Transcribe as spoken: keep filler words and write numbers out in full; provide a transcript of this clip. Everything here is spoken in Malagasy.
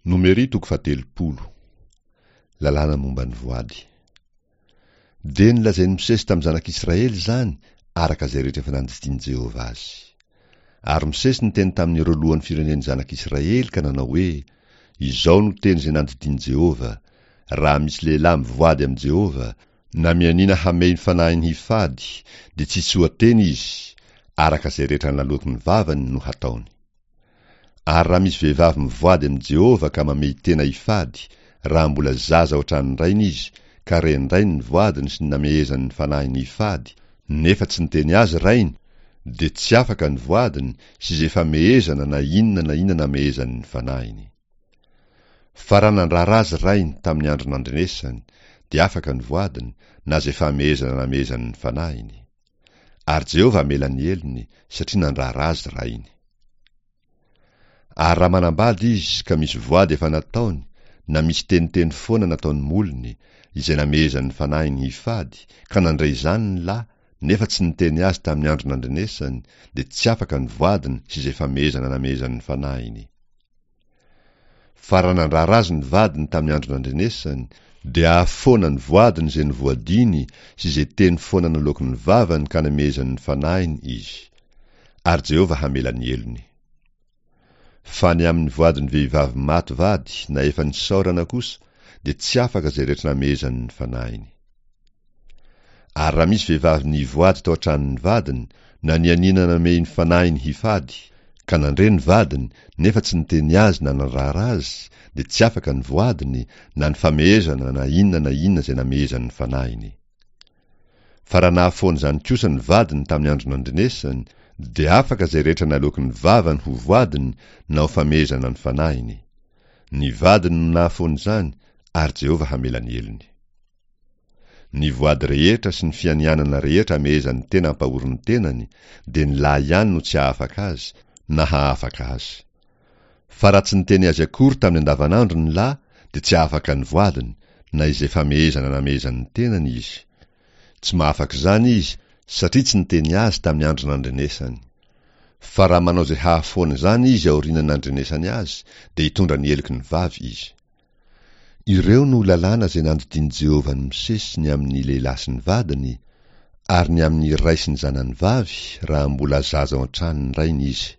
Nomery toko fahatelopolo. Lalàna momba ny voady. Dia nolazain'i Mosesy tamin'ny zanak'Israely izany araka izay rehetra efa nandidian'i Jehovah azy. Ary Mosesy niteny tamin'ireo lohan'ny firenen'ny zanak'Israely ka nanao hoe, Izao no teny izay nandidian'i Jehovah, Raha misy lehilahy mivoady amin'i Jehovah, na mianiana hamehy ny fanahiny hifady, dia tsy tsoa-teny izy, araka izay rehetra naloaky ny vavany no hataony. Ary raha misy vehivavy mivoady amin'i Jehovah ka mamehy tena hifady, raha mbola zaza ao an-tranon-drainy izy, ka ren-drainy ny voadiny sy ny namehezany ny fanahiny hifady, nefa tsy niteny azy rainy, dia tsy afaka ny voadiny sy izay famehezana na inona na inona namehezany ny fanahiny. Fa raha nandrara azy rainy tamin'ny andro nandrenesany, dia afaka ny voadiny, na izay famehezana namehezany ny fanahiny. Ary Jehovah hamela ny helony, satria nandrara azy rainy. Ary raha manambady izy ka misy voady efa nataony, na misy teniteny foana nataon'ny molony, izay namehezan'ny fanahiny hifady, ka nandre izany ny lahy, nefa tsy niteny azy tamin'ny andro nandrenesany, dia tsy afaka ny voadiny sy izay famehezana namehezan'ny fanahiny. Fa raha nandrara azy ny vadiny tamin'ny andro nandrenesany, dia hahafoana ny voadiny izay novoadiany sy izay teny foana naloaky ny vavany ka namehezany ny fanahiny izy. Ary Jehovah hamela ny helony. Fa ny amin'ny voadin'ny vehivavy maty vady na efa nisaorana kosa, dia tsy afaka izay rehetra namehezany ny fanahiny. Ary raha misy vehivavy nivoady tao an-tranon'ny vadiny, na nianiana namehy ny fanahiny hifady, ka nandre ny vadiny, nefa tsy niteny azy na nandrara azy, dia tsy afaka ny voadiny, na ny famehezana na inona na inona izay namehezany ny fanahiny. Fa raha nahafoana izany kosa ny vadiny tamin'ny andro nandrenesany, dia afaka izay rehetra naloaky ny vavany ho voadiny na ho famehezana ny fanahiny. Ny vadiny no nahafoana izany, ary Jehovah hamela ny helony. Ny voady rehetra sy ny fianianana rehetra amehezan'ny tena ampahory ny tenany, dia ny lahy ihany no tsy hahafaka azy, na hahafaka azy. Fa raha tsy niteny azy akory tamin'ny andavanandro ny lahy, dia tsy hahafaka ny voadiny, na izay famehezana namehezany ny tenany izy. Tsy mahafaka izany izy, satria tsy niteny azy tamin'ny andro nandrenesany. Fa raha manao izay hahafoana izany izy aorian'ny nandrenesany azy, dia hitondra ny heloky ny vavy izy. Ireo no lalàna izay nandidian'i Jehovah an'i Mosesy ny amin'ny lehilahy sy ny vadiny, ary ny amin'ny ray sy ny zanany vavy, raha mbola zaza ao an-tranon'ny rainy izy.